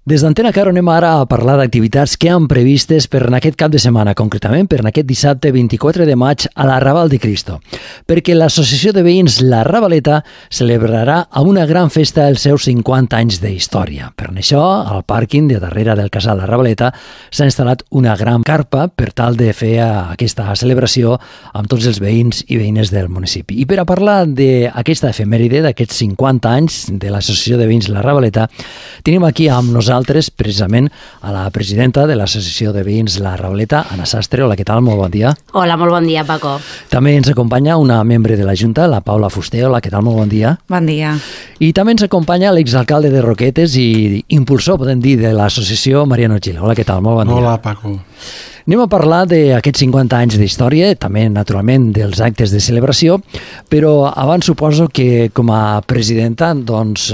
Des d'Antena Caro anem ara a parlar d'activitats que han previstes per en aquest cap de setmana, concretament per en aquest dissabte 24 de maig a la Raval de Cristo, perquè l'Associació de Veïns La Ravaleta celebrarà amb una gran festa els seus 50 anys d'història. Per això, al pàrquing de darrere del casal La Ravaleta s'ha instal·lat una gran carpa per tal de fer aquesta celebració amb tots els veïns i veïnes del municipi. I per a parlar d'aquesta efemèride, d'aquests 50 anys de l'Associació de Veïns La Ravaleta, tenim aquí amb nosaltres precisament a la presidenta de l'Associació de Veïns La Ravaleta, Anna Sastre. Hola, què tal? Molt bon dia. Hola, molt bon dia, Paco. També ens acompanya una membre de la Junta, la Paula Fuster. Hola, què tal? Molt bon dia. Bon dia. I també ens acompanya l'exalcalde de Roquetes i impulsor, podem dir, de l'associació, Mariano Gil. Hola, què tal? Molt bon dia. Hola, Paco. Anem a parlar d'aquests 50 anys d'història, també, naturalment, dels actes de celebració, però abans suposo que, com a presidenta, doncs,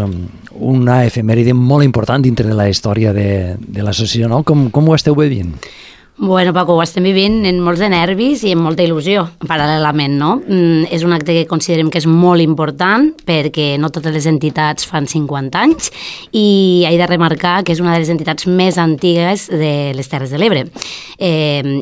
una efemèride molt important dintre de la història de l'associació, no? Com ho esteu vivint? Bueno, Paco, ho estem vivint en molts de nervis i en molta il·lusió, paral·lelament, no? És un acte que considerem que és molt important perquè no totes les entitats fan 50 anys i he de remarcar que és una de les entitats més antigues de les Terres de l'Ebre.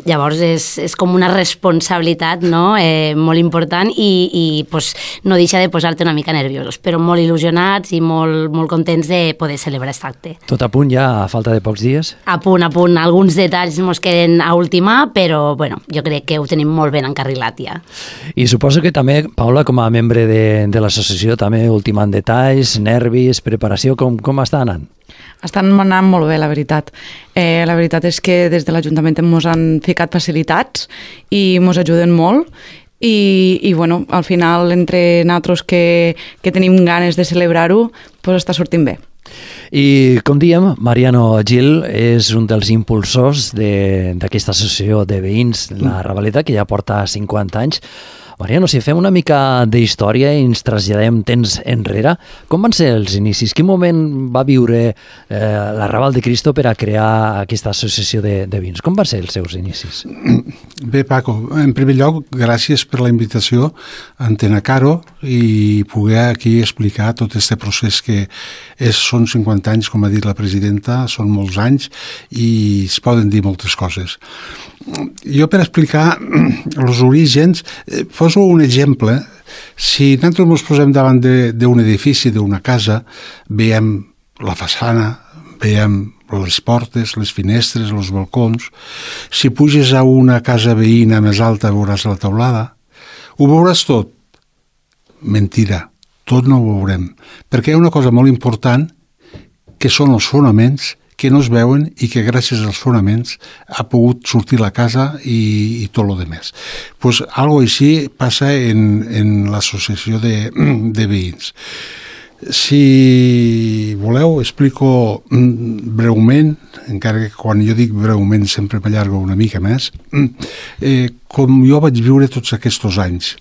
Llavors és com una responsabilitat, no? Molt important i pues, no deixa de posar-te una mica nerviosos, però molt il·lusionats i molt contents de poder celebrar aquest acte. Tot a punt ja, a falta de pocs dies? A punt. Alguns detalls mos queden a ultimar, però bueno, jo crec que ho tenim molt ben encarrilat ja. I suposo que també, Paula, com a membre de l'associació, també ultimant detalls, nervis, preparació, com està anant? Estan anant molt bé, la veritat. La veritat és que des de l'Ajuntament ens han ficat facilitats i ens ajuden molt. I bueno, al final, entre nosaltres que tenim ganes de celebrar-ho, doncs està sortint bé. I, com diem, Mariano Gil és un dels impulsors d'aquesta associació de veïns, la Ravaleta, que ja porta 50 anys. Mariano, si fem una mica d'història i ens traslladem temps enrere, com van ser els inicis? Quin moment va viure la Raval de Cristo per a crear aquesta associació de veïns? Com van ser els seus inicis? Bé, Paco, en primer lloc, gràcies per la invitació a Antena Caro i poder aquí explicar tot aquest procés que són 50 anys, com ha dit la presidenta, són molts anys i es poden dir moltes coses. Jo, per explicar els orígens, poso un exemple. Si nosaltres ens posem davant d'un edifici, d'una casa, veiem la façana, veiem les portes, les finestres, els balcons. Si puges a una casa veïna més alta veuràs la teulada. Ho veuràs tot? Mentida, tot no ho veurem. Perquè hi ha una cosa molt important que són els fonaments que no es veuen i que gràcies als fonaments ha pogut sortir la casa i tot el demés. Pues algo així passa en l'associació de veïns. Si voleu, explico breument, encara que quan jo dic breument sempre m'allargo una mica més, com jo vaig viure tots aquests anys.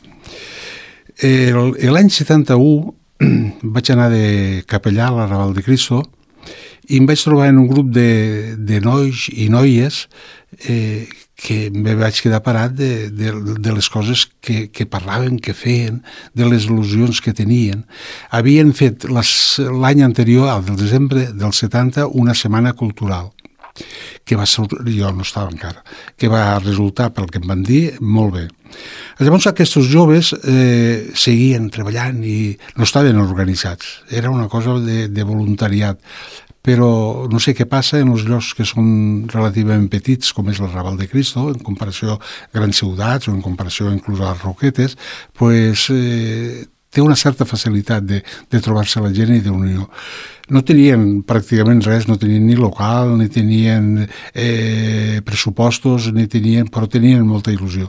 L'any 71 vaig anar de capellà a la Raval de Cristo i em vaig trobar en un grup de nois i noies que em vaig quedar parat de les coses que parlaven, que feien, de les il·lusions que tenien. Havien fet l'any anterior, al desembre del 70, una setmana cultural, que va ser, jo no estava encara, que va resultar, pel que em van dir, molt bé. Llavors aquests joves seguien treballant i no estaven organitzats, era una cosa de voluntariat, però no sé què passa en els llocs que són relativament petits, com és la Raval de Cristo, en comparació a grans ciutats o en comparació inclús a les Roquetes, pues, té una certa facilitat de trobar-se la gent i d'unió. No tenien pràcticament res, no tenien ni local, ni tenien pressupostos, però tenien molta il·lusió.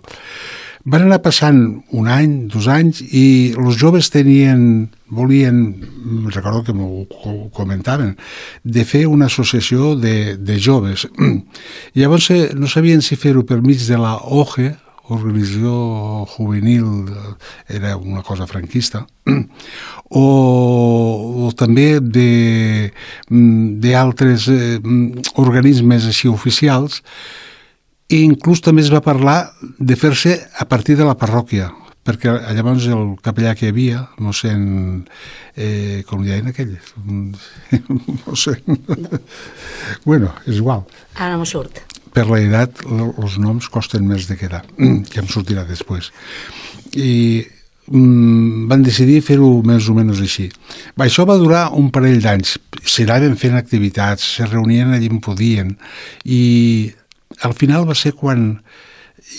Van anar passant un any, 2 anys, i els joves volien, recordo que m'ho comentaven, de fer una associació de joves. Llavors no sabien si fer-ho per mig de la OGE, Organització Juvenil, era una cosa franquista, o també d'altres organismes així oficials. I inclús també es va parlar de fer-se a partir de la parròquia, perquè llavors el capellà que hi havia, mossèn, com li deien aquell? Mossèn... Bueno, és igual. Ara no m'ho surt. Per l'edat, els noms costen més de quedar, que em sortirà després. I van decidir fer-ho més o menys així. Això va durar un parell d'anys. S'anaven fent activitats, se reunien allà on podien, i al final va ser quan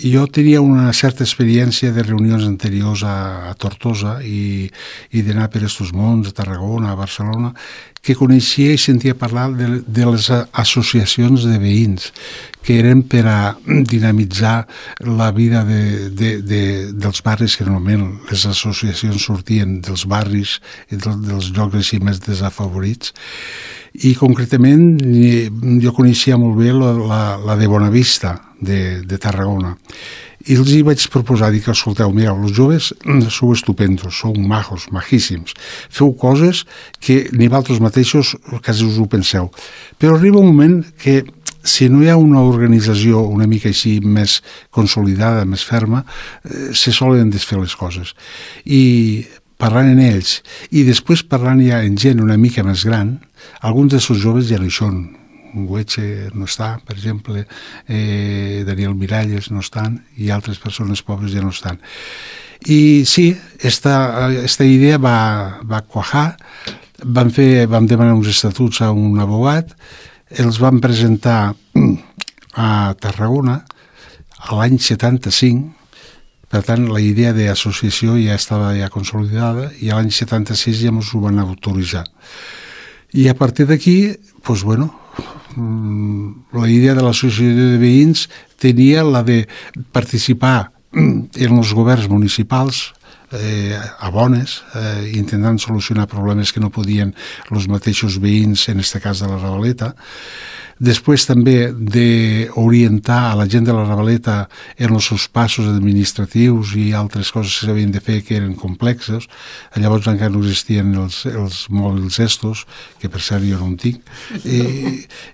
jo tenia una certa experiència de reunions anteriors a Tortosa i d'anar per estos mons, a Tarragona, a Barcelona, que coneixia i sentia parlar de les associacions de veïns que eren per a dinamitzar la vida dels barris, que normalment les associacions sortien dels barris i dels llocs així més desafavorits. I concretament jo coneixia molt bé la de Bonavista, de Tarragona. I els hi vaig proposar, dic, escolteu, mireu, els joves sou estupendos, sou majos, majíssims, feu coses que ni vosaltres mateixos quasi us ho penseu. Però arriba un moment que si no hi ha una organització una mica així més consolidada, més ferma, se solen desfer les coses. I parlant en ells, i després parlant ja en gent una mica més gran, alguns d'aquests joves ja no hi són. Güeche no està, per exemple, Daniel Miralles no estan, i altres persones pobres ja no estan. I sí, esta idea va cuajar, vam demanar uns estatuts a un abogat, els vam presentar a Tarragona a l'any 75, per tant, la idea d'associació ja estava ja consolidada, i a l'any 76 ja ens ho van autoritzar. I a partir d'aquí, doncs, bueno, la idea de l'associació de veïns tenia la de participar en els governs municipals a bones, intentant solucionar problemes que no podien els mateixos veïns, en aquest cas de la Ravaleta. Després també d'orientar a la gent de la Ravaleta en els seus passos administratius i altres coses que s'havien de fer que eren complexes. Llavors encara no existien els mòbils estos, que per cert jo no en tinc.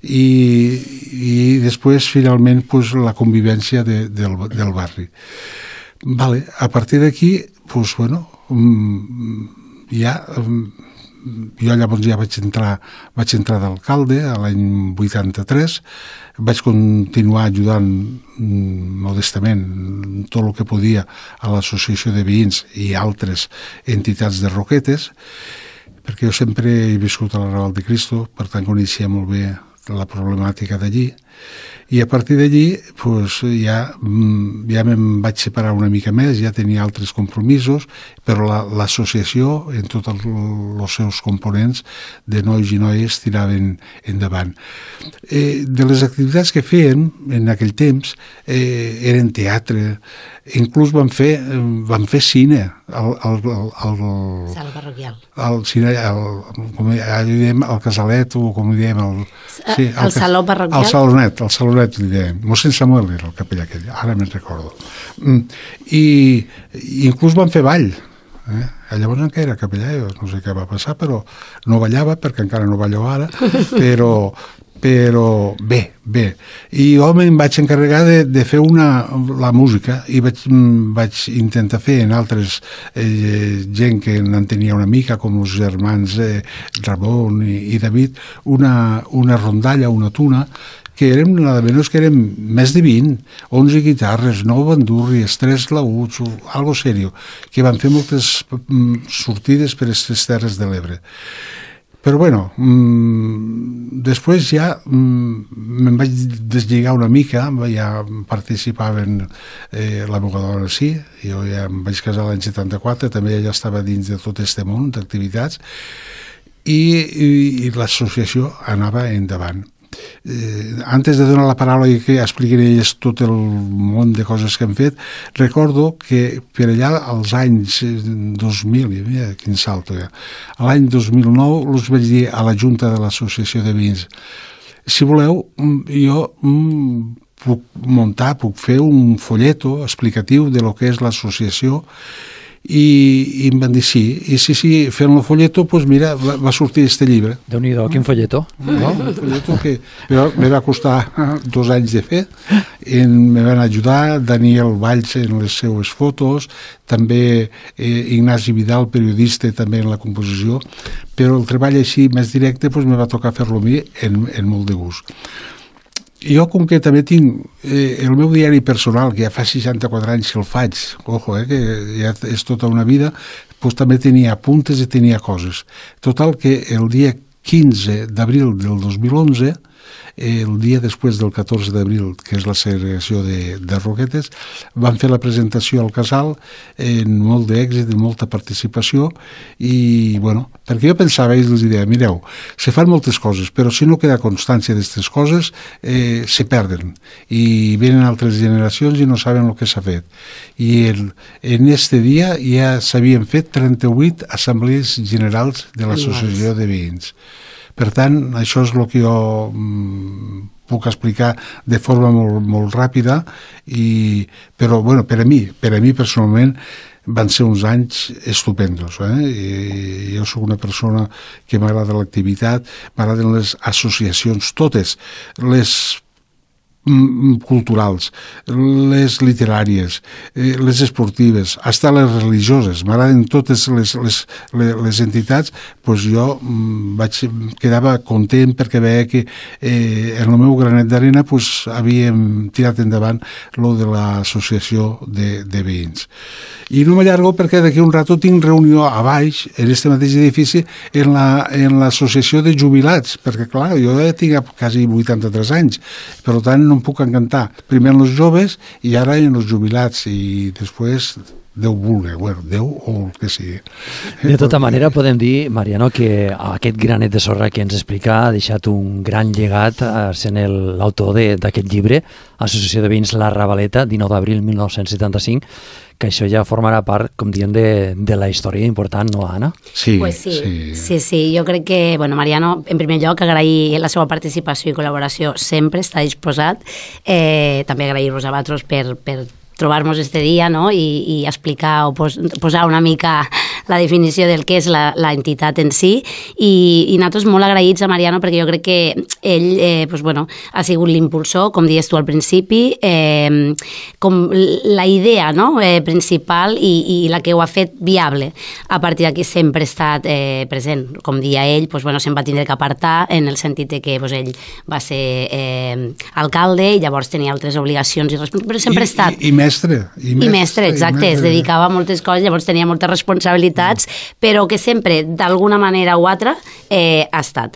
I després, finalment, pues, la convivència del barri. Vale. A partir d'aquí, pues, bueno, ja... Jo llavors ja vaig entrar d'alcalde a l'any 83, vaig continuar ajudant modestament tot el que podia a l'associació de veïns i altres entitats de Roquetes, perquè jo sempre he viscut a la Raval de Cristo, per tant coneixia molt bé la problemàtica d'allí, i a partir d'allí pues, ja me'n vaig separar una mica més, ja tenia altres compromisos, però l'associació en tots els seus components de nois i noies tiraven endavant. De les activitats que feien en aquell temps eren teatre, inclús van fer cine al Sala parroquial. Al cine, com diem, al Casalet, o com diem el saló parroquial. El salonet li dèiem. Mossèn Samuel era el capellà aquell, ara me'n recordo. I inclús van fer ball. Llavors encara era capellà, jo no sé què va passar, però no ballava, perquè encara no ballo ara, però bé. I jo me'n vaig encarregar de fer la música, i vaig intentar fer en altres gent que en tenia una mica, com els germans Ramon i David, una rondalla, una tuna, que eren, nada menos que eren més de 20, 11 guitarres, 9 bandurries, 3 laüts, algo serio, que van fer moltes sortides per aquestes terres de l'Ebre. Però bueno, després ja me'n vaig deslligar una mica, ja participaven la meva dona sí, jo ja em vaig casar l'any 74, també ella estava dins de tot aquest món d'activitats, i l'associació anava endavant. Antes de donar la paraula i que expliquin elles tot el món de coses que han fet, recordo que per allà als anys 2000, mira quin salto ja, a l'any 2009 els vaig dir a la Junta de l'Associació de Veïns, si voleu jo puc fer un folleto explicatiu de lo que és l'associació i em van dir sí, i sí, fent el folleto, doncs mira, va sortir este llibre. Déu-n'hi-do, quin folleto. No? Un folleto que me va costar 2 anys de fer, me van ajudar Daniel Valls en les seues fotos, també Ignasi Vidal, periodista, també en la composició, però el treball així més directe doncs me va tocar fer-lo a mi en molt de gust. Jo, com que també tinc el meu diari personal, que ja fa 64 anys que el faig, ojo, que ja és tota una vida, doncs també tenia apuntes i tenia coses. Total que el dia 15 d'abril del 2011, el dia després del 14 d'abril, que és la segregació de Roquetes, van fer la presentació al Casal en molt d'èxit, de molta participació, i, bueno, perquè jo pensava, i els deia, mireu, se fan moltes coses, però si no queda constància d'aquestes coses, se perden, i venen altres generacions i no saben el que s'ha fet. I en este dia ja s'havien fet 38 assemblees generals de l'Associació de Veïns. Per tant, això és el que jo puc explicar de forma molt ràpida, però bueno, per a mi personalment van ser uns anys estupendos. Jo soc una persona que m'agrada l'activitat, m'agraden les associacions, totes, les culturals, les literàries, les esportives, fins les religioses, m'agraden totes les entitats, doncs jo quedava content perquè veia que en el meu granet d'arena havíem tirat endavant lo de l'associació de veïns. I no m'allargo perquè d'aquí un rato tinc reunió a baix, en este mateix edifici, en l'associació de jubilats, perquè clar, jo ja tinc quasi 83 anys, per tant no em puc encantar primer en els joves i ara en els jubilats, i després Déu vulgui, bueno, Déu o el que sigui. De tota manera podem dir, Mariano, que aquest granet de sorra que ens explica ha deixat un gran llegat sent l'autor d'aquest llibre, Associació de Veïns La Ravaleta, 19 d'abril 1975, que això ja formarà part, com diem, de la història important, no, Anna? Sí, pues sí. Jo crec que, bueno, Mariano, en primer lloc, agrair la seva participació i col·laboració, sempre està disposat. També agrair-vos a vosaltres per trobar-nos este dia, no? I explicar o posar una mica la definició del que és la entitat en si, i nosaltres molt agraïts a Mariano perquè jo crec que ell ha sigut l'impulsor, com dius tu al principi, com la idea, no? Principal i la que ho ha fet viable. A partir d'aquí sempre ha estat present. Com dia ell, se'n va tindre que apartar en el sentit que ell va ser alcalde i llavors tenia altres obligacions, però sempre ha estat... I mestre, exacte, es dedicava a moltes coses, llavors tenia moltes responsabilitats, però que sempre, d'alguna manera o altra, ha estat.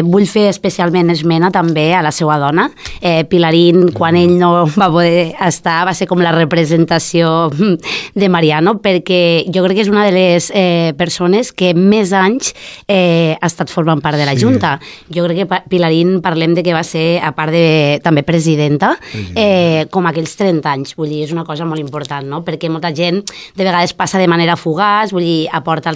Vull fer especialment esmena també a la seva dona. Pilarín, quan ell no va poder estar, va ser com la representació de Mariano, perquè jo crec que és una de les persones que més anys ha estat formant part de la Junta. Jo crec que Pilarín, parlem de que va ser, a part de també presidenta, com aquells 30 anys, vull dir, és una cosa molt important, no? Perquè molta gent de vegades passa de manera fugaç, vull dir, aporta a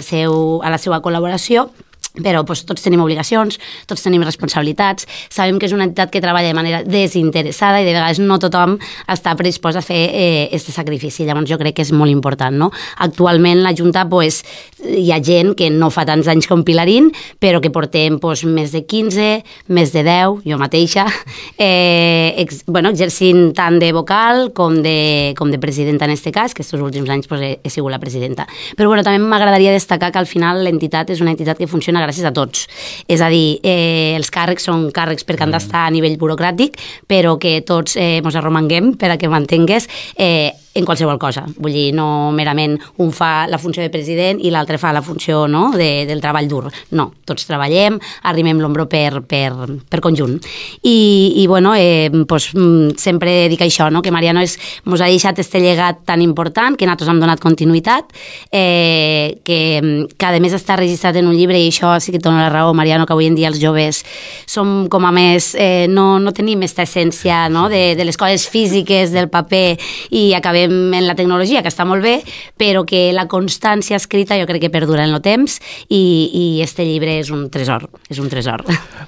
la seva col·laboració, però tots tenim obligacions, tots tenim responsabilitats, sabem que és una entitat que treballa de manera desinteressada i de vegades no tothom està predispost a fer aquest sacrifici, llavors jo crec que és molt important, no? Actualment la Junta hi ha gent que no fa tants anys com Pilarín, però que portem més de 15, més de 10, jo mateixa, exercint tant de vocal com de presidenta en aquest cas, que aquests últims anys he sigut la presidenta. Però també m'agradaria destacar que al final l'entitat és una entitat que funciona gràcies a tots. És a dir, els càrrecs són càrrecs perquè han d'estar a nivell burocràtic, però que tots ens arromanguem per a que m'entengues en qualsevol cosa. Vull dir, no merament un fa la funció de president i l'altre fa la funció, no, del treball dur. No, tots treballem, arrimem l'ombro per conjunt. I sempre dic això, no, que Mariano ens ha deixat este llegat tan important, que nosaltres hem donat continuïtat, que a més està registrat en un llibre, i això sí que et dona la raó, Mariano, que avui en dia els joves som com a més, no tenim aquesta essència, no, de les coses físiques, del paper, i acabem trobem en la tecnologia, que està molt bé, però que la constància escrita jo crec que perdura en el temps i este llibre és un tresor,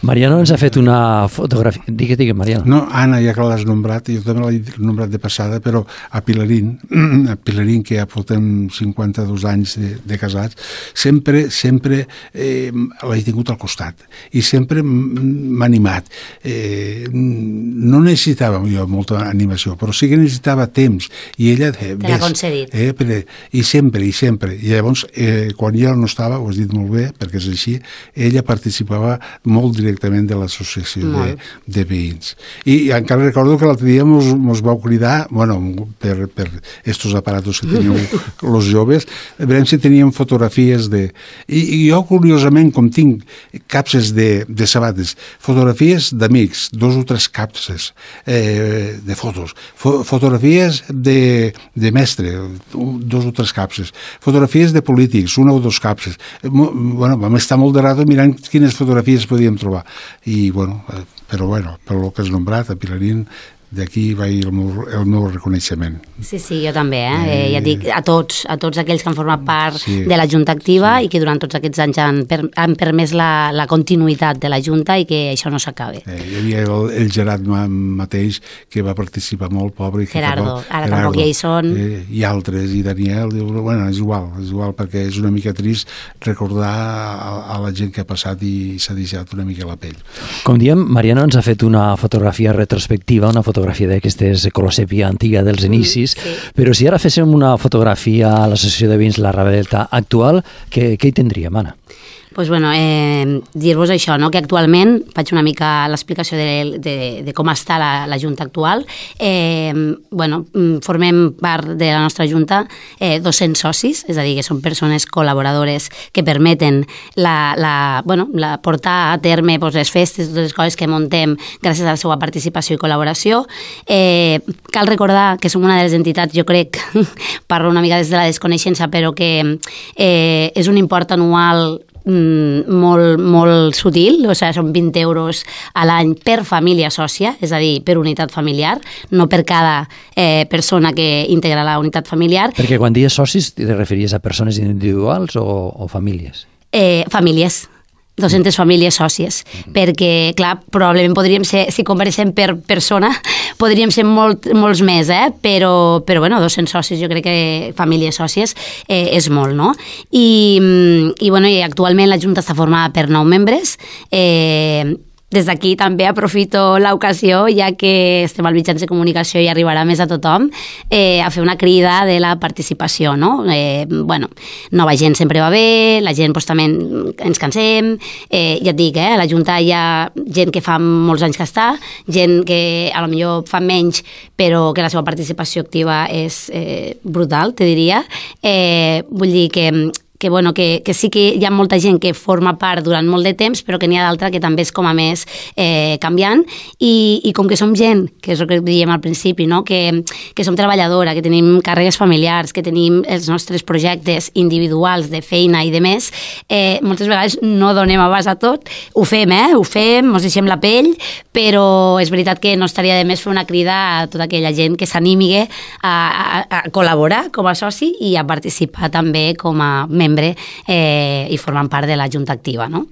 Mariano ens ha fet una fotografia... Digue, Mariano. No, Anna, ja que l'has nombrat, jo també l'he nombrat de passada, però a Pilarín, que ja portem 52 anys de casats, sempre l'he tingut al costat i sempre m'ha animat. No necessitava jo molta animació, però sí que necessitava temps i ella... Te l'ha concedit. I sempre. I llavors, quan jo no estava, ho has dit molt bé, perquè és així, ella participava molt directament de l'associació de veïns. I encara recordo que l'altre dia mos vau cridar, bueno, per estos aparatos que teniu los joves, veurem si teníem fotografies de... I jo, curiosament, com tinc capses de sabates, fotografies d'amics, 2 o 3 capses de fotos, fotografies de mestre, 2 o 3 capses, fotografies de polítics, 1 o 2 capses. Bueno, vam estar molt de rato mirant quines fotografies podíem trobar. I, bueno, però per lo que has nombrat, a Pilarín, d'aquí va el meu reconeixement. Sí, jo també, ja et dic a tots aquells que han format part de la Junta Activa i que durant tots aquests anys han permès la continuïtat de la Junta i que això no s'acabi. Hi havia el Gerard mateix que va participar molt, pobre. Gerardo, ara tampoc ja hi són. I altres, i Daniel, bueno, és igual, perquè és una mica trist recordar a la gent que ha passat i s'ha deixat una mica la pell. Com diem, Mariano ens ha fet una fotografia retrospectiva, una fotografia d'aquestes colosèpia antiga dels inicis, però si ara féssim una fotografia a l'Associació de Veïns La Ravaleta actual, què hi tindríem, Anna? Doncs dir-vos això, que actualment, faig una mica l'explicació de com està la Junta actual. Formem part de la nostra Junta 200 socis, és a dir, que són persones col·laboradores que permeten portar a terme les festes, totes les coses que muntem gràcies a la seva participació i col·laboració. Cal recordar que som una de les entitats, jo crec, parlo una mica des de la desconeixença, però que és un import anual molt sutil, o sigui, són 20 euros a l'any per família sòcia, és a dir, per unitat familiar, no per cada persona que integra la unitat familiar. Perquè quan dius socis te referies a persones individuals o famílies? Famílies. 200 famílies sòcies, perquè, clar, probablement podríem ser, si conversem per persona, podríem ser molts més, però 200 socis, jo crec que famílies sòcies és molt, no? I actualment la Junta està formada per 9 membres, des d'aquí també aprofito l'ocasió, ja que estem als mitjans de comunicació i arribarà més a tothom, a fer una crida de la participació, no? Nova gent sempre va bé, la gent també ens cansem, ja et dic, a la Junta hi ha gent que fa molts anys que està, gent que a lo millor fa menys, però que la seva participació activa és brutal, te diria. Vull dir que sí que hi ha molta gent que forma part durant molt de temps, però que n'hi ha d'altra que també és com a més canviant, i com que som gent, que és el que dèiem al principi, no? que som treballadora, que tenim càrregues familiars, que tenim els nostres projectes individuals de feina i de més, moltes vegades no donem abast a tot, ho fem, ens deixem la pell, però és veritat que no estaria de més fer una crida a tota aquella gent que s'animi a col·laborar com a soci i a participar també com a membre i formant part de la Junta Activa, no?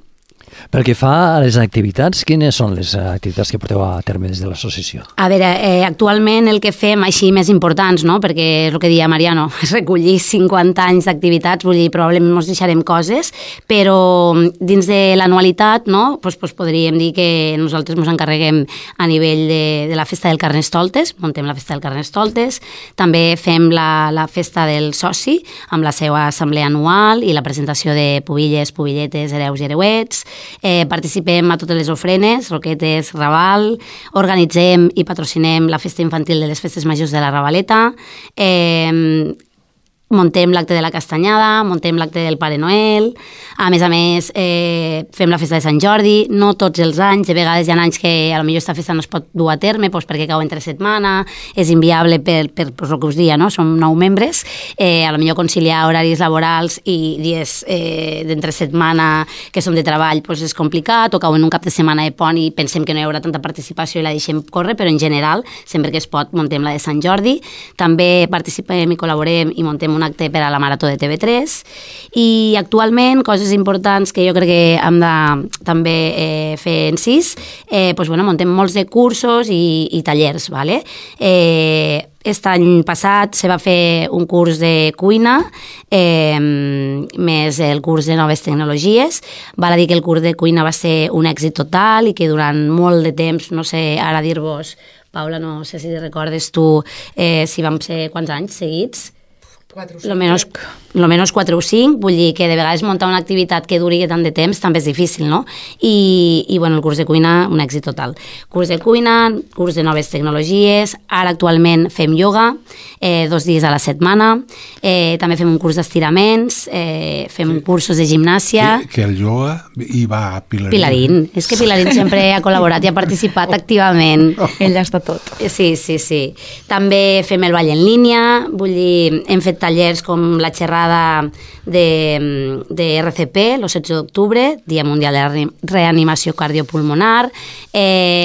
Pel que fa a les activitats, quines són les activitats que porteu a terme des de l'associació? A veure, actualment el que fem així més importants, no? Perquè és el que deia Mariano, és recollir 50 anys d'activitats, vull dir, probablement ens deixarem coses, però dins de l'anualitat, no? Pues podríem dir que nosaltres ens encarreguem a nivell de la festa del Carnestoltes, muntem la festa del Carnestoltes, també fem la festa del soci, amb la seva assemblea anual i la presentació de pubilles, pubilletes, hereus i hereuets. Participem a totes les ofrenes, roquetes, Raval, organitzem i patrocinem la festa infantil de les festes majors de la Ravaleta, muntem l'acte de la Castanyada, muntem l'acte del Pare Noel, a més, fem la festa de Sant Jordi, no tots els anys, de vegades hi ha anys que potser aquesta festa no es pot dur a terme perquè cau entre setmana, és inviable per el que us dia, no? Som 9 membres, potser conciliar horaris laborals i dies d'entre setmana que som de treball és complicat, o cau en un cap de setmana de pont i pensem que no hi haurà tanta participació i la deixem córrer, però en general, sempre que es pot, muntem la de Sant Jordi, també participem i col·laborem i muntem un acte per a la Marató de TV3 i actualment coses importants que jo crec que hem de també fer incís, muntem molts de cursos i tallers, ¿vale? Aquest any passat se va fer un curs de cuina més el curs de noves tecnologies. Val a dir que el curs de cuina va ser un èxit total i que durant molt de temps, no sé ara dir-vos, Paula, no sé si recordes tu si vam ser quants anys seguits? 4 o 5. Lo menos 4 o 5, vull dir que de vegades muntar una activitat que duri tant de temps també és difícil, no? I el curs de cuina, un èxit total. Curs de cuina, curs de noves tecnologies, ara actualment fem ioga, 2 dies a la setmana, també fem un curs d'estiraments, fem cursos de gimnàsia... Que el ioga hi va Pilarín. Pilarín, és que Pilarín sempre ha col·laborat i ha participat activament. Ell ja està tot. Sí. També fem el ball en línia, vull dir, hem fet tallers com la xerrada de RCP, el 16 d'octubre, Dia Mundial de Reanimació Cardiopulmonar,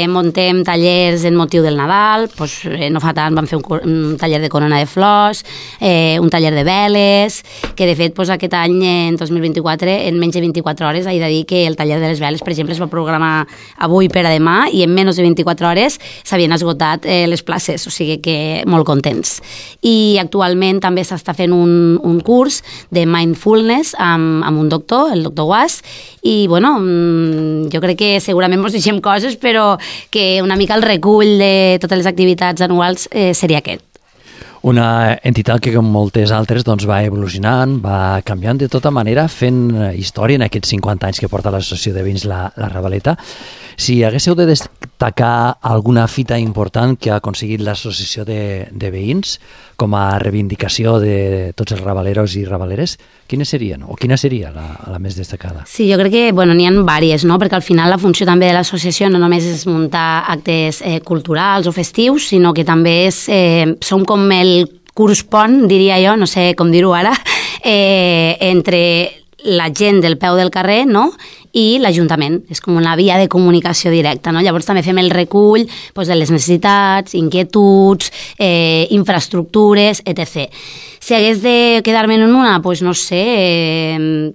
muntem tallers en motiu del Nadal, no fa tant vam fer un taller de corona de flors, un taller de veles, que de fet aquest any, en 2024, en menys de 24 hores, he de dir que el taller de les veles, per exemple, es va programar avui per a demà i en menys de 24 hores s'havien esgotat les places, o sigui que molt contents. I actualment també s'està fent un curs de mindfulness amb un doctor, el doctor Guas, i jo crec que segurament ens deixem coses, però que una mica el recull de totes les activitats anuals seria aquest. Una entitat que, com moltes altres, va evolucionant, va canviant de tota manera, fent història en aquests 50 anys que porta l'associació de veïns la Ravaleta. Si haguéssiu de destacar alguna fita important que ha aconseguit l'associació de veïns com a reivindicació de tots els ravaleros i ravaleres, quines serien? O quina seria la més destacada? Sí, jo crec que n'hi ha diverses, no? Perquè al final la funció també de l'associació no només és muntar actes culturals o festius, sinó que també som com el curs pont, diria jo, no sé com dir-ho ara, entre la gent del peu del carrer, no?, i l'Ajuntament. És com una via de comunicació directa, no? Llavors també fem el recull de les necessitats, inquietuds, infraestructures, etc. Si hagués de quedar-me en una, no sé,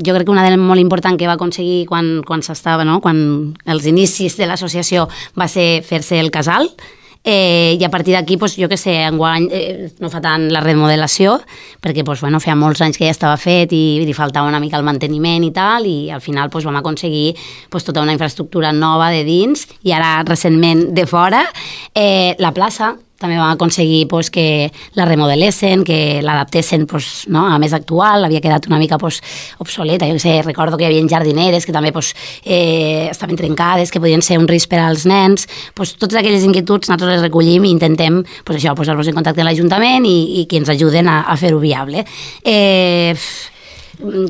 jo crec que una de les molt important que va aconseguir quan s'estava, no?, quan els inicis de l'associació va ser fer-se el casal, i a partir d'aquí, jo què sé, enguany no fa tant la remodelació, perquè feia molts anys que ja estava fet i li faltava una mica el manteniment i tal, i al final vam aconseguir tota una infraestructura nova de dins, i ara recentment de fora, la plaça també vam aconseguir que la remodelessin, que l'adaptessin a més actual, havia quedat una mica obsoleta. Jo sé, recordo que hi havia jardineres que també estaven trencades, que podien ser un risc per als nens. Totes aquelles inquietuds nosaltres les recollim i intentem posar-nos en contacte amb l'Ajuntament i que ens ajuden a fer-ho viable.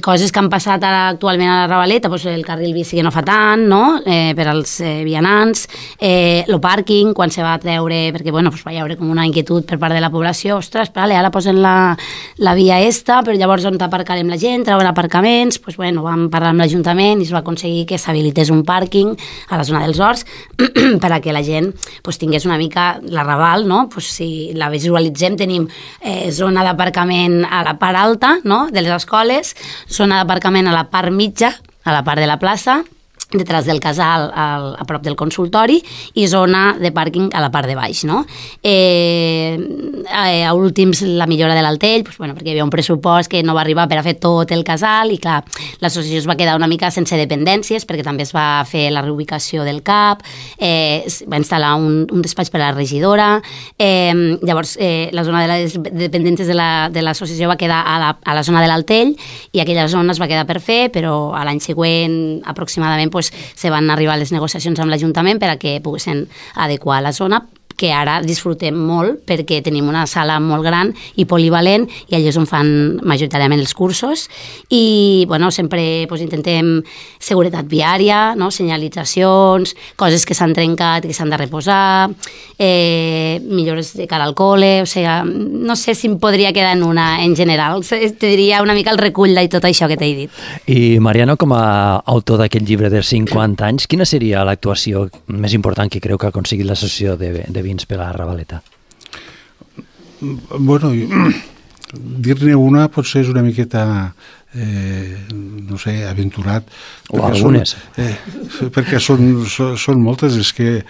Coses que han passat ara actualment a la Ravaleta, el carril bici que no fa tant, no?, per als vianants, el pàrquing, quan se va treure, perquè va hi haure com una inquietud per part de la població, ostres, ara posen la via esta, però llavors on aparcarem la gent, treuen aparcaments, vam parlar amb l'Ajuntament i es va aconseguir que s'habilités un pàrquing a la zona dels Horts perquè la gent tingués una mica la Raval, no?, si la visualitzem tenim zona d'aparcament a la part alta, no?, de les escoles, zona d'aparcament a la part mitja, a la part de la plaça, detrás del casal a prop del consultori, i zona de pàrquing a la part de baix, no? A últims la millora de l'Altell, perquè hi havia un pressupost que no va arribar per a fer tot el casal i clar, l'associació es va quedar una mica sense dependències perquè també es va fer la reubicació del CAP, es va instal·lar un despatx per a la regidora, llavors la zona de les dependències de l'associació va quedar a la zona de l'Altell i aquella zona es va quedar per fer, però a l'any següent aproximadament se van arribar a les negociacions amb l'Ajuntament per a que poguessin adequar la zona, que ara disfrutem molt perquè tenim una sala molt gran i polivalent i allà és on fan majoritàriament els cursos i bueno, sempre pues, intentem seguretat viària, no? Senyalitzacions, coses que s'han trencat, que s'han de reposar, millores de cara al col·le, o sigui, no sé si em podria quedar en una en general, te diria una mica el recull de tot això que t'he dit. I Mariano, com a autor d'aquest llibre de 50 anys, quina seria l'actuació més important que creu que ha aconseguit l'associació de Vins per la Ravaleta? Bueno, dir-ne una potser és una miqueta no sé, aventurat. O algunes. Perquè són moltes, és que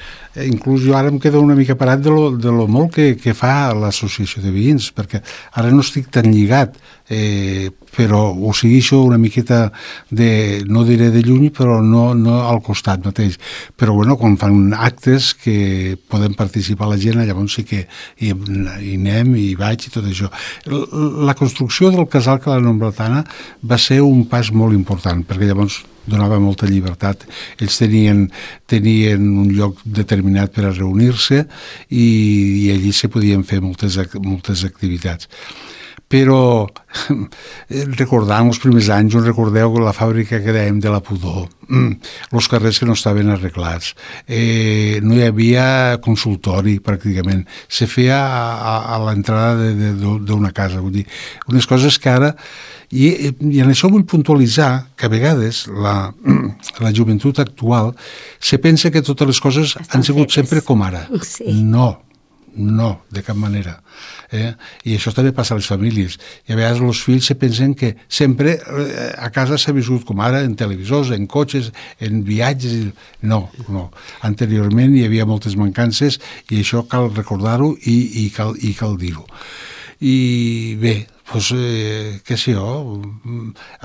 inclús jo ara em quedo una mica parat de lo molt que fa l'associació de veïns, perquè ara no estic tan lligat, però ho segueixo una miqueta no diré de lluny, però no al costat mateix. Però bueno, quan fan actes que poden participar la gent, llavors sí que hi anem, hi vaig i tot això. La construcció del casal Cala Nomblatana va ser un pas molt important, perquè llavors donava molta llibertat. Ells tenien un lloc determinat per a reunir-se i allí se podien fer moltes activitats. Però recordant els primers anys, us recordeu la fàbrica que dèiem de la pudor, els carrers que no estaven arreglats, no hi havia consultori pràcticament, se feia a l'entrada d'una casa, vull dir, unes coses que ara i en això vull puntualitzar que a vegades la joventut actual se pensa que totes les coses han sigut sempre com ara. Sí. No, de cap manera. I això també passa a les famílies. I a vegades els fills se pensen que sempre a casa s'ha viscut com ara, en televisors, en cotxes, en viatges. No. Anteriorment hi havia moltes mancances i això cal recordar-ho i cal dir-ho. I bé, doncs, què sé jo,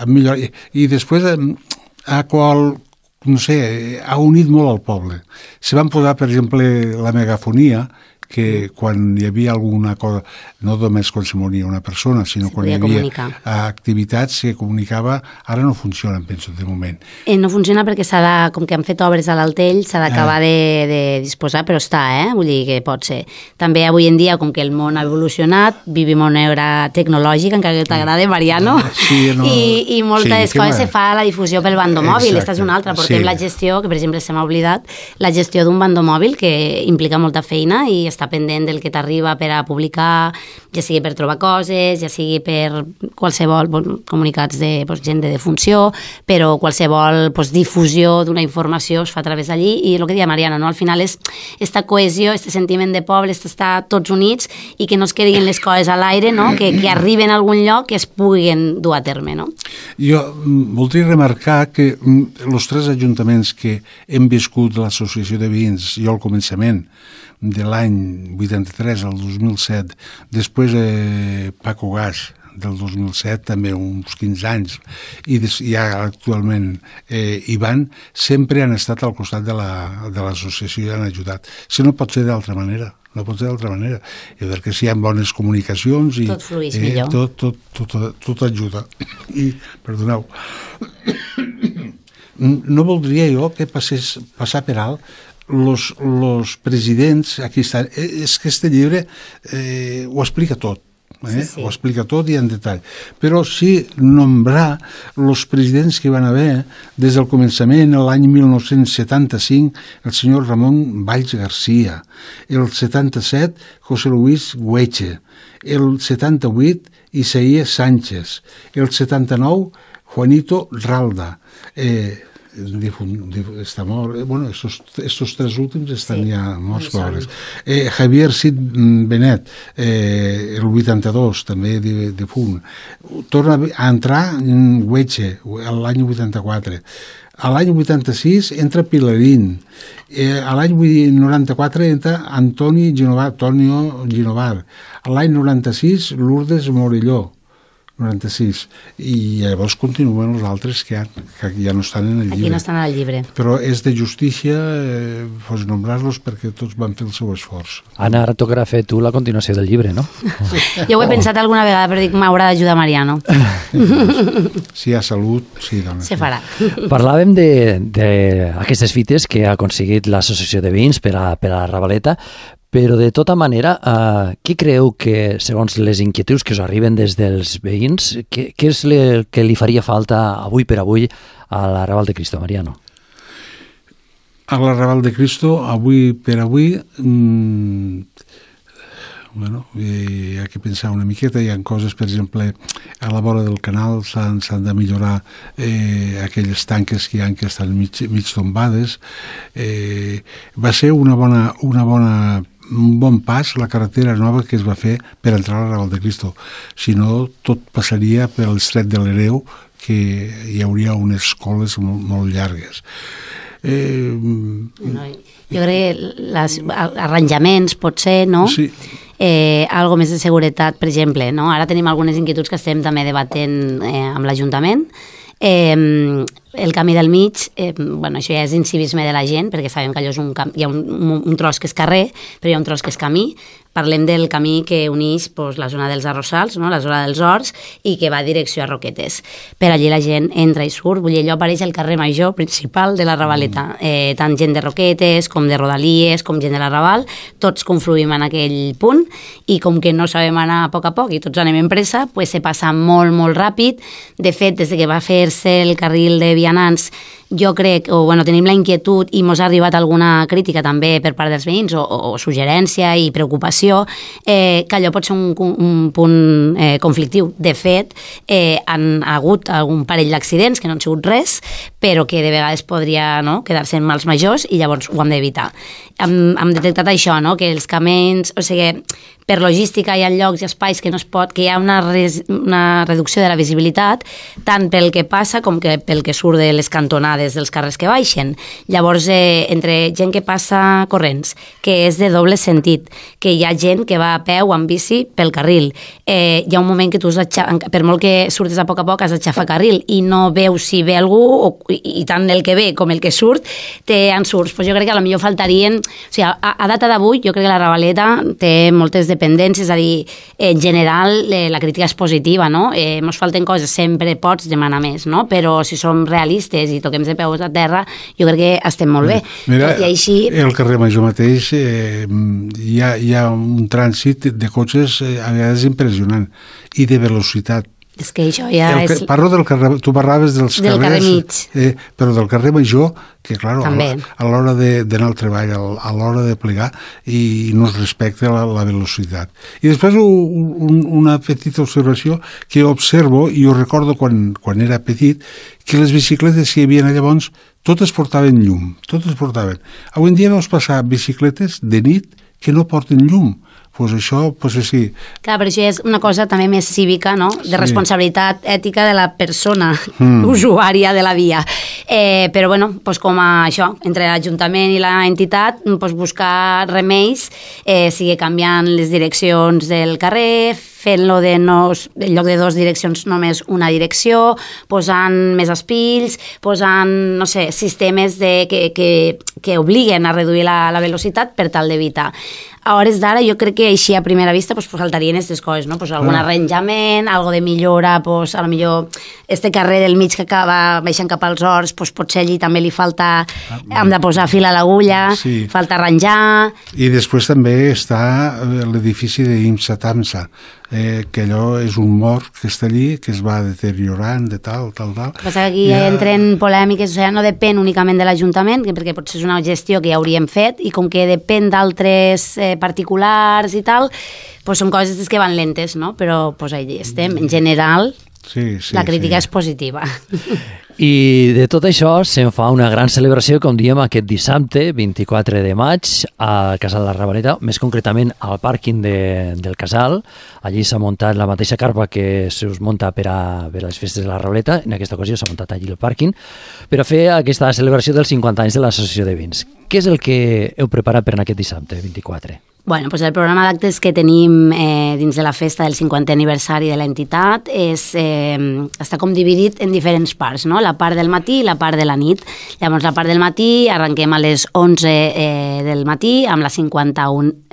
millor. I després no sé, ha unit molt al poble. Se van posar, per exemple, la megafonia, que quan hi havia alguna cosa, no només quan se moria una persona, sinó quan hi havia activitats que comunicava, ara no funcionen, penso, de moment. No funciona perquè com que han fet obres a l'Altell, s'ha d'acabar de disposar, però està, vull dir que pot ser. També avui en dia, com que el món ha evolucionat, vivim una era tecnològica, encara que t'agrada, Mariano, i moltes coses se fa a la difusió pel bandomòbil. Aquesta és una altra, portem la gestió, que per exemple se m'ha oblidat, la gestió d'un bandomòbil que implica molta feina i està pendent del que t'arriba per a publicar, ja sigui per trobar coses, ja sigui per qualsevol comunicats de gent de defunció, però qualsevol difusió d'una informació es fa a través d'allí i el que deia Mariano, no? Al final és esta cohesió, este sentiment de poble, estar tots units i que no es quedin les coses a l'aire, no? Que arriben a algun lloc que es puguin dur a terme. No? Jo voldria remarcar que els tres ajuntaments que hem viscut l'associació de veïns, jo al començament, de l'any 83 al 2007, després Paco Gas del 2007, també uns 15 anys, i ja actualment Ivan, sempre han estat al costat de l'associació i han ajudat. Si no pot ser d'altra manera. No pot ser d'altra manera. Perquè si hi ha bones comunicacions i tot flueix millor. Tot ajuda. I, perdoneu, no voldria jo que passar per alt los presidents, aquí està, és que este llibre ho explica tot. Sí. Ho explica tot i en detall. Però sí nombrar els presidents que van haver des del començament, l'any 1975, el senyor Ramon Valls Garcia, el 77, José Luis Güeche, el 78, Isaías Sánchez, el 79, Juanito Ralda, està mort, bueno, estos tres últims estan ja morts pobres. Javier Cid Benet, el 82, també difunt. Torna a entrar Güeche, l'any 84. A l'any 86 entra Pilarín. A l'any 94 entra Antonio Ginovar. A l'any 96 Lourdes Morelló. 96. I llavors continuen els altres que ja no estan en el llibre. Aquí no estan al llibre. Però és de justícia nombrar-los perquè tots van fer el seu esforç. Anna, ara tocarà fer tu la continuació del llibre, no? Jo ho he pensat alguna vegada, però dic, m'haurà d'ajudar Mariano. Si hi ha salut, sí, dona. Se farà. Parlàvem d'aquestes fites que ha aconseguit l'associació de veïns per a la Ravaleta, Però, de tota manera, què creu que, segons les inquietuds que us arriben des dels veïns, què és el que li faria falta avui per avui a l'Arrabal de Cristo, Mariano? A l'Arrabal de Cristo, avui per avui, hi ha que pensar una miqueta. Hi ha coses, per exemple, a la vora del canal s'han de millorar aquelles tanques que hi ha que estan mig tombades. Va ser un bon pas la carretera nova que es va fer per entrar a l'Arrabal de Cristo. Si no, tot passaria per l'estret de l'Hereu, que hi hauria unes coles molt llargues. Jo crec que els arranjaments, potser, no? Sí. Algo més de seguretat, per exemple, no? Ara tenim algunes inquietuds que estem també debatent amb l'Ajuntament. El camí del mig, això ja és incivisme de la gent, perquè sabem que allò és hi ha un tros que és carrer, però hi ha un tros que és camí. Parlem del camí que uneix la zona dels Arrossals, no? La zona dels Horts, i que va a direcció a Roquetes. Per allí la gent entra i surt, vull dir, allò apareix el carrer major principal de la Ravaleta. Tant gent de Roquetes, com de Rodalies, com gent de l'Arrabal, tots confluïm en aquell punt, i com que no sabem anar a poc i tots anem en pressa, se passa molt, molt ràpid. De fet, des que va fer-se el carril de vianants, jo crec, tenim la inquietud i mos ha arribat alguna crítica també per part dels veïns o suggerència i preocupació, que allò pot ser un punt conflictiu. De fet, han hagut algun parell d'accidents que no han sigut res, però que de vegades podria quedar-se en mals majors, i llavors ho hem d'evitar. Hem detectat això, que els camins, o sigui, per logística hi ha llocs i espais que no es pot, que hi ha una reducció de la visibilitat, tant pel que passa com que pel que surt de les cantonades dels carrers que baixen. Llavors, entre gent que passa corrents, que és de doble sentit, que hi ha gent que va a peu o amb bici pel carril, hi ha un moment que tu, per molt que surtes a poc, has d'aixafar carril i no veus si ve algú, i tant el que ve com el que surt, té ensurts. Pues jo crec que a lo millor faltarien, o sigui, a data d'avui, jo crec que la Ravaleta té moltes dependències, és a dir, en general la crítica és positiva, no? Ens falten coses, sempre pots demanar més, no? Però si som realistes i toquem de peus a terra, jo crec que estem molt bé. Mira, i així... el carrer Major mateix hi ha un trànsit de cotxes a vegades impressionant, i de velocitat. És que això ja és... Parlo del carrer, tu parlaves dels del carrer mig. Però del carrer Major, que clar, també, a l'hora d'anar al treball, a l'hora de plegar, i no es respecta la velocitat. I després una petita observació que observo, i ho recordo quan era petit, que les bicicletes que hi havia llavors totes portaven llum, totes portaven. Avui en dia veus passar bicicletes de nit que no porten llum. Pues això, sí. Clar, però això és una cosa també més cívica, no? De responsabilitat ètica de la persona usuària de la via. Però, com això, entre l'Ajuntament i l'entitat, buscar remeis, sigui canviant les direccions del carrer, fent-lo en lloc de 2 direccions només una direcció, posant més espills, posant, no sé, sistemes que obliguen a reduir la velocitat per tal d'evitar. A hores d'ara jo crec que així a primera vista faltarien aquestes coses, no? Algun arranjament, algo de millora, a lo millor este carrer del mig que acaba baixant cap als Horts, potser allí també li falta, hem de posar fil a l'agulla, falta arranjar... I després també està l'edifici d'IMSA Tamsa, que allò és un mort que està allí, que es va deteriorant de tal. Passa que aquí entren polèmiques, o sigui, no depèn únicament de l'Ajuntament, perquè potser és una gestió que ja hauríem fet, i com que depèn d'altres particulars i tal, són coses que van lentes, no? Però allà estem. En general, la crítica és positiva. I de tot això se'n fa una gran celebració, com diem, aquest dissabte, 24 de maig, al Casal de la Ravaleta, més concretament al pàrquing del Casal. Allí s'ha muntat la mateixa carpa que s'us munta per a les festes de la Ravaleta. En aquesta ocasió s'ha muntat allí el pàrquing per a fer aquesta celebració dels 50 anys de l'Associació de Vins. Què és el que heu preparat per aquest dissabte, 24? El programa d'actes que tenim dins de la festa del 50è aniversari de l'entitat està com dividit en diferents parts, no? La part del matí i la part de la nit. Llavors, la part del matí arrenquem a les 11 del matí amb la 51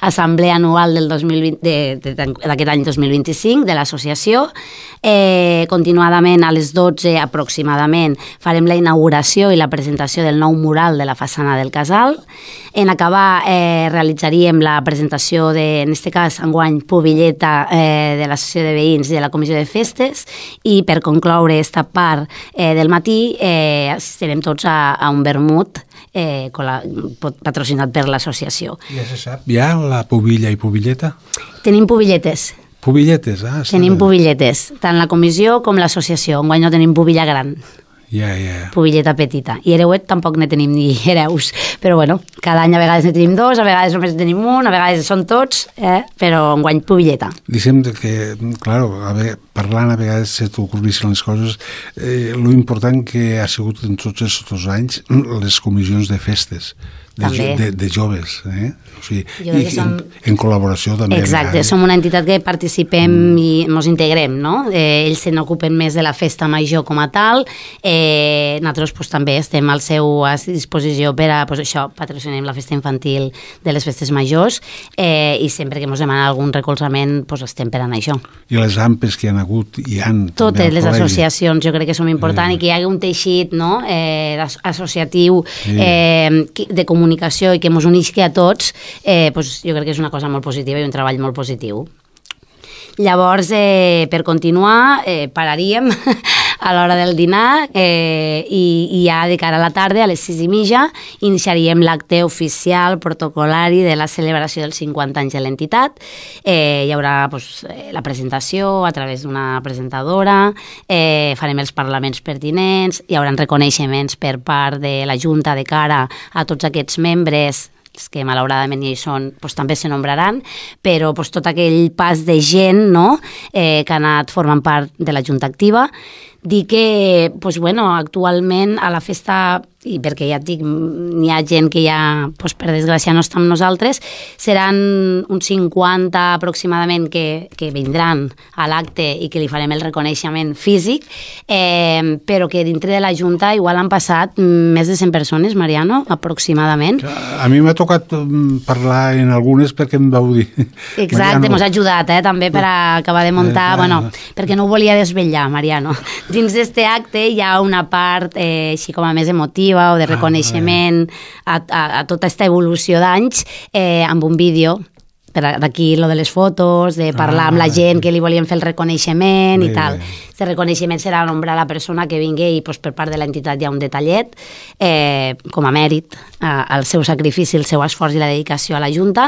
assemblea anual del 2020, d'aquest any 2025 de l'associació. Continuadament a les 12 aproximadament farem la inauguració i la presentació del nou mural de la façana del casal. En acabar realitzaríem la presentació de, en aquest cas, enguany, pubilleta de l'Associació de Veïns i de la Comissió de Festes, i per concloure aquesta part del matí assistirem tots a un vermut patrocinat per l'associació. Ja se sap, ja la pubilla i pubilleta? Tenim pubilletes. Pubilletes, Tenim pubilletes, tant la comissió com l'associació. Enguany no tenim pubilla gran. Ja. Pubilleta petita. I hereuet tampoc ne tenim ni hereus. Però bueno, cada any a vegades ne tenim dos, a vegades només tenim un, a vegades són tots, però enguany pubilleta. Dicem que, claro, parlant a vegades se t'ocorrissin les coses, lo important que ha sigut en tots aquests anys les comissions de festes, de joves, o sigui, i en col·laboració també. Exacte, som una entitat que participem i ens integrem, no? Ells se n'ocupen més de la festa major com a tal, nosaltres també estem a disposició per a, això, patrocinem la festa infantil de les festes majors, i sempre que ens demana algun recolzament estem per anar això. I les AMPEs que hi ha hagut, hi ha... Totes les associacions jo crec que són importants, i que hi hagi un teixit associatiu de comunicació i que ens unisqui a tots, jo crec que és una cosa molt positiva i un treball molt positiu. Llavors, per continuar, pararíem a l'hora del dinar i ja de cara a la tarda, a les 6:30, iniciaríem l'acte oficial protocolari de la celebració dels 50 anys de l'entitat. Hi haurà la presentació a través d'una presentadora, farem els parlaments pertinents, hi haurà reconeixements per part de la Junta de cara a tots aquests membres que malauradament hi són, també se nombraran, però tot aquell pas de gent que ha anat formant part de la Junta Activa. Dir que actualment a la festa, i perquè ja et dic, n'hi ha gent que ja, per desgràcia, no està amb nosaltres, seran uns 50 aproximadament que vindran a l'acte i que li farem el reconeixement físic, però que dintre de la Junta igual han passat més de 100 persones, Mariano, aproximadament. A mi m'ha tocat parlar en algunes perquè em vau dir. Exacte, m'has ajudat també per acabar de muntar, perquè no ho volia desvetllar, Mariano. Dins d'este acte hi ha una part així com a més emotiva o de reconeixement a tota aquesta evolució d'anys amb un vídeo. D'aquí lo de les fotos, de parlar amb la gent que li volien fer el reconeixement i tal. Aquest reconeixement serà nombrar la persona que vingui i per part de l'entitat hi ha un detallet com a mèrit al seu sacrifici, el seu esforç i la dedicació a la Junta,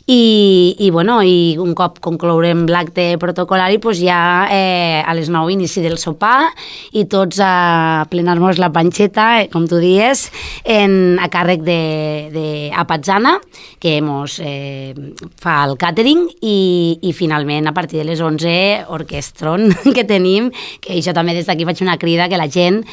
i un cop conclourem l'acte protocolari ja a les 9 inici del sopar i tots a plenar-nos la panxeta, com tu dies, a càrrec d'Apatzana, que ens fa el càtering, i finalment a partir de les 11 orquestron que tenim, que això també des d'aquí faig una crida que la gent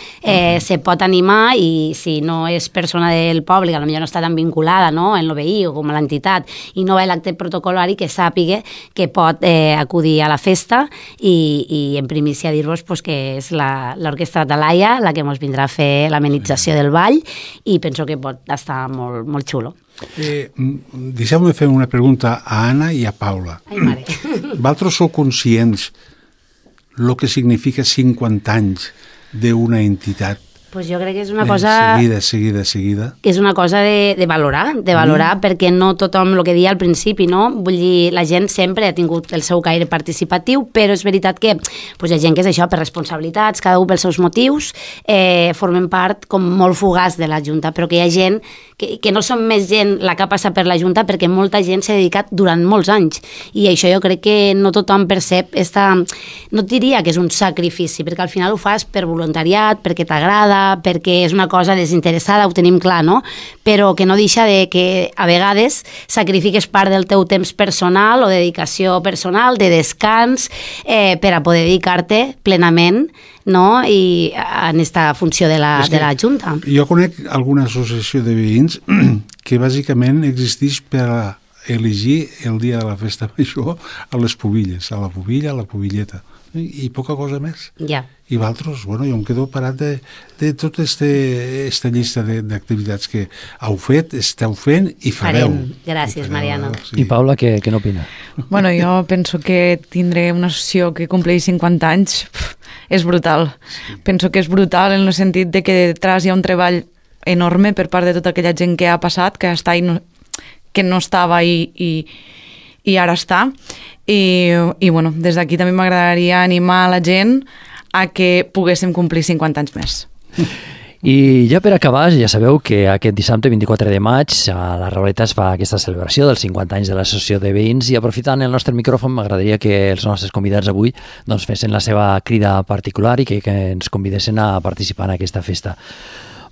se pot animar, i si no és persona del poble, que potser no està tan vinculada en l'OBI o com a l'entitat i no va a l'acte protocolari, que sàpiga que pot acudir a la festa, i en primícia dir-vos que és l'Orquestra Atalaya la que ens vindrà a fer l'amenització del ball, i penso que pot estar molt, molt xulo. Deixeu-me fer una pregunta a Anna i a Paula. Ai, mare. Vosaltres sou conscients el que significa 50 anys d'una entitat? Pues jo crec que és una cosa... Seguida. És una cosa de valorar, perquè no tothom, el que deia al principi, no? Vull dir, la gent sempre ha tingut el seu caire participatiu, però és veritat que hi ha gent que és això, per responsabilitats, cada un pels seus motius, formen part com molt fugaç de la Junta, però que hi ha gent que no som més gent la que ha passat per la Junta, perquè molta gent s'ha dedicat durant molts anys, i això jo crec que no tothom percep no et diria que és un sacrifici, perquè al final ho fas per voluntariat, perquè t'agrada, perquè és una cosa desinteressada, ho tenim clar, no? Però que no deixa de que a vegades sacrifiques part del teu temps personal o dedicació personal, de descans, per a poder dedicar-te plenament, no? I en aquesta funció de la Junta. Jo conec alguna associació de veïns que bàsicament existeix per elegir el dia de la festa major a les pubilles, a la pubilla, a la pubilleta. i poca cosa més. Ja. I vosaltres, jo em quedo parat de tota aquesta llista d'activitats que heu fet, esteu fent i fareu. Gràcies, Mariano. Sí. I Paula, què n'opina? Bueno, jo penso que tindré una associació que compleix 50 anys és brutal. Sí. Penso que és brutal en el sentit de que detrás hi ha un treball enorme per part de tota aquella gent que ha passat, que està que no estava i ara està. I bueno, des d'aquí també m'agradaria animar la gent a que poguéssim complir 50 anys més. I ja per acabar, ja sabeu que aquest dissabte 24 de maig a la Ravaleta es fa aquesta celebració dels 50 anys de l'Associació de Veïns i aprofitant el nostre micròfon m'agradaria que els nostres convidats avui doncs, fessin la seva crida particular i que ens convidessin a participar en aquesta festa.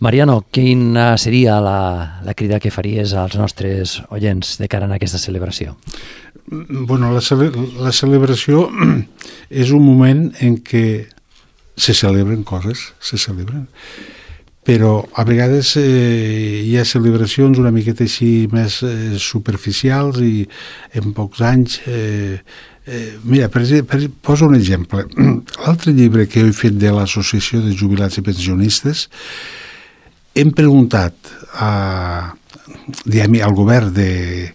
Mariano, quina seria la crida que faries als nostres oients de cara a aquesta celebració? Bueno, la celebració és un moment en què se celebren coses, però a vegades hi ha celebracions una miqueta així més superficials i en pocs anys... Mira, poso un exemple. L'altre llibre que he fet de l'Associació de Jubilats i Pensionistes hem preguntat al govern de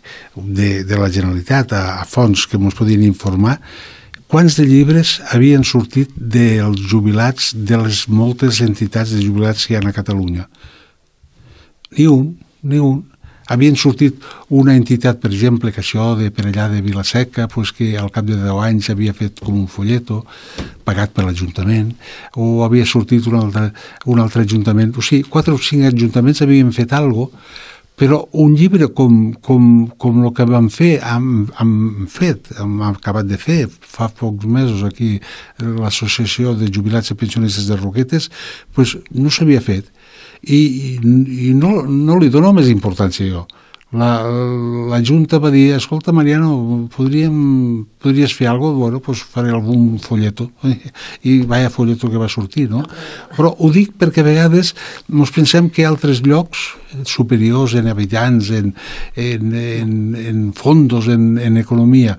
la Generalitat, a fons que ens podien informar, quants de llibres havien sortit dels jubilats de les moltes entitats de jubilats que hi ha a Catalunya. Ni un. Havien sortit una entitat, per exemple, que això de per allà de Vilaseca, pues que al cap de 10 anys havia fet com un folleto pagat per l'Ajuntament, o havia sortit un altre ajuntament. O sigui, 4 o 5 ajuntaments havien fet alguna cosa, però un llibre com el que vam fer, hem acabat de fer fa pocs mesos aquí l'Associació de Jubilats i Pensionistes de Roquetes, pues no s'havia fet. I no li dono més importància jo. La Junta va dir, escolta Mariano, podries fer alguna cosa? Bueno, doncs faré algun folleto. I vaya folleto que va sortir, no? Però ho dic perquè a vegades ens pensem que altres llocs superiors en habitants, en fondos, en economia,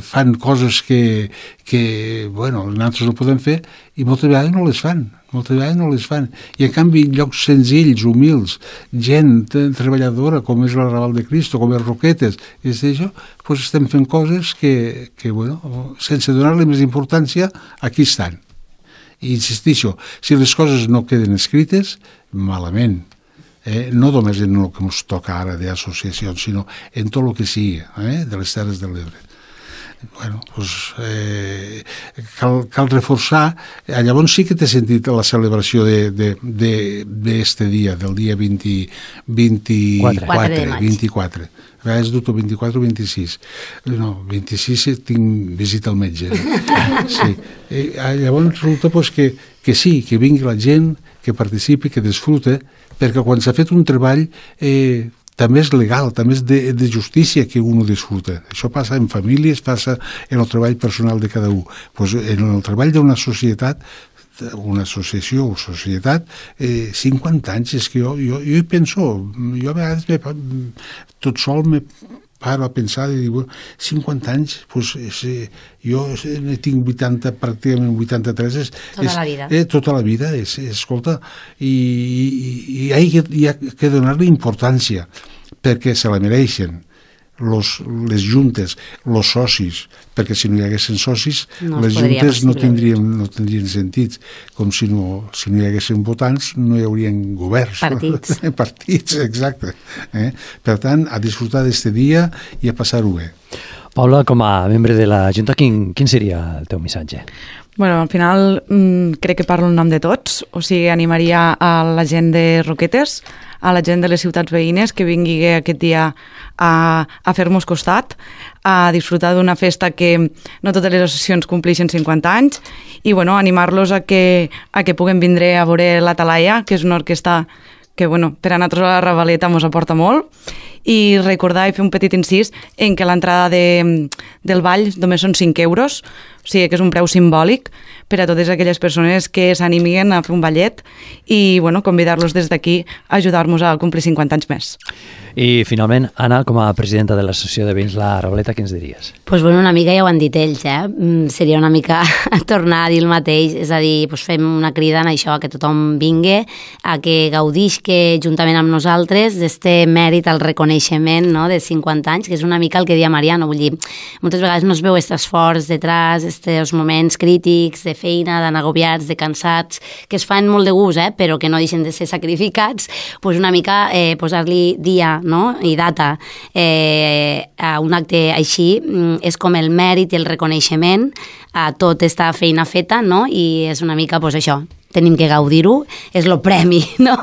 fan coses que bueno, nosaltres no podem fer i moltes vegades no les fan. I en canvi llocs senzills, humils, gent treballadora com és la Raval de Cristo, com és Roquetes, doncs estem fent coses que bueno, sense donar-li més importància, aquí estan. I insistixo, si les coses no queden escrites, malament. No només en el que ens toca ara d'associacions, sinó en tot el que sigui, de les Terres de l'Ebre. Bueno, doncs, cal reforçar. Llavors sí que t'he sentit la celebració d'este dia, del dia 24. A vegades dubto 24 o 26. No, 26 tinc visita al metge. Sí. Llavors resulta pues, que sí, que vingui la gent, que participi, que disfrute, perquè quan s'ha fet un treball també és legal, també és de justícia que un ho disfruta. Això passa en famílies, passa en el treball personal de cada un. Pues en el treball d'una societat, una associació o societat, 50 anys, és que jo hi penso, jo a vegades tot sol me paro a pensar i dic, 50 anys, pues, jo ne tinc 80, pràcticament 83. Tota la vida. Tota la vida, escolta, i hi ha que donar-li importància, perquè se la mereixen les juntes, els socis, perquè si no hi haguessin socis, les juntes no tindrien sentit, com si no hi haguessin votants, no hi haurien governs. Partits. Partits, exacte. Per tant, a disfrutar d'este dia i a passar-ho bé. Paula, com a membre de la Junta, quin seria el teu missatge? Bueno, al final crec que parlo en nom de tots, o sigui, animaria a la gent de Roquetes, a la gent de les ciutats veïnes que vingui aquest dia a fer-nos costat, a disfrutar d'una festa que no totes les associacions compleixen 50 anys i bueno, animar-los a que puguem vindre a veure la Talaia, que és una orquestra que bueno, per a nosaltres a la Ravaleta ens aporta molt, i recordar i fer un petit incís en que l'entrada del ball només són 5 euros, o sigui que és un preu simbòlic, per a totes aquelles persones que s'animin a fer un ballet i bueno, convidar-los des d'aquí a ajudar-nos a complir 50 anys més. I finalment, Anna, com a presidenta de l'Associació de Veïns La Ravaleta, què ens diries? Pues bueno, una mica ja ho han dit ells, seria una mica tornar a dir el mateix, és a dir, pues fem una crida en això, a que tothom vingui, a que gaudisque juntament amb nosaltres d'este mèrit al reconeixement, no?, de 50 anys, que és una mica el que deia Mariano, vull dir, moltes vegades no es veu aquest esforç detrás, estos moments crítics de feina, d'anar agobiats, de cansats, que es fan molt de gust, però que no deixen de ser sacrificats, pues una mica posar-li dia, no?, i data a un acte així és com el mèrit i el reconeixement a tota aquesta feina feta, no?, i és una mica, pues això, tenim que gaudir-ho, és lo premi, no?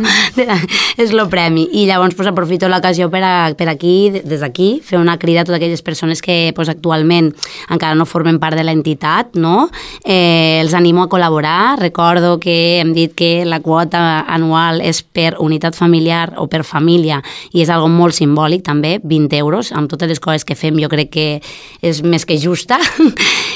És lo premi. I llavors pues, aprofito l'ocasió per aquí, des d'aquí, fer una crida a totes aquelles persones que pues, actualment encara no formen part de l'entitat, no? Els animo a col·laborar. Recordo que hem dit que la quota anual és per unitat familiar o per família i és algo molt simbòlic també, 20 euros, amb totes les coses que fem jo crec que és més que justa.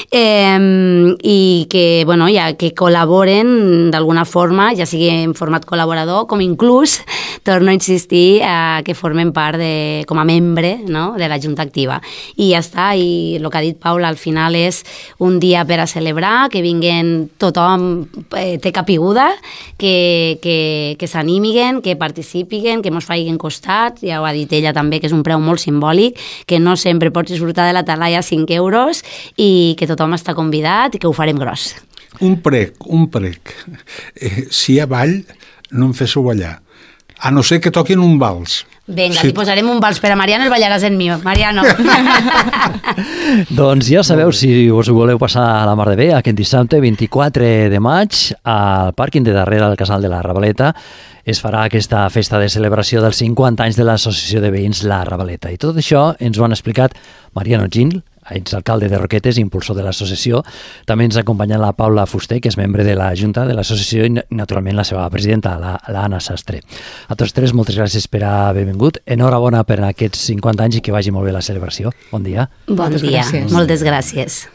I que, bueno, ja que col·laboren d'alguna forma, ja sigui en format col·laborador, com inclús, torno a insistir, que formen part com a membre, no?, de la Junta Activa. I ja està, i el que ha dit Paula, al final és un dia per a celebrar, que vinguen tothom, té capiguda, que s'animiguen, que participiguen, que mos faiguen costat, ja ho ha dit ella també, que és un preu molt simbòlic, que no sempre pots disfrutar de la talaia 5 euros i que tothom està convidat i que ho farem gros. Un prec. Si hi ha ball, no em féssiu ballar. A no ser que toquin un vals. Vinga, li posarem un vals per a Mariano i el ballaràs en mi. Mariano. Doncs ja sabeu, si us voleu passar a la mar de bé, aquest dissabte 24 de maig, al pàrquing de darrere del Casal de la Ravaleta, es farà aquesta festa de celebració dels 50 anys de l'Associació de Veïns La Ravaleta. I tot això ens ho han explicat Mariano Gil, exalcalde de Roquetes, impulsor de l'associació. També ens acompanya la Paula Fuster, que és membre de la Junta de l'associació, i naturalment la seva presidenta, l'Anna Sastre. A tots tres, moltes gràcies per haver vingut. Enhorabona per aquests 50 anys i que vagi molt bé la celebració. Bon dia. Bon dia. Moltes gràcies.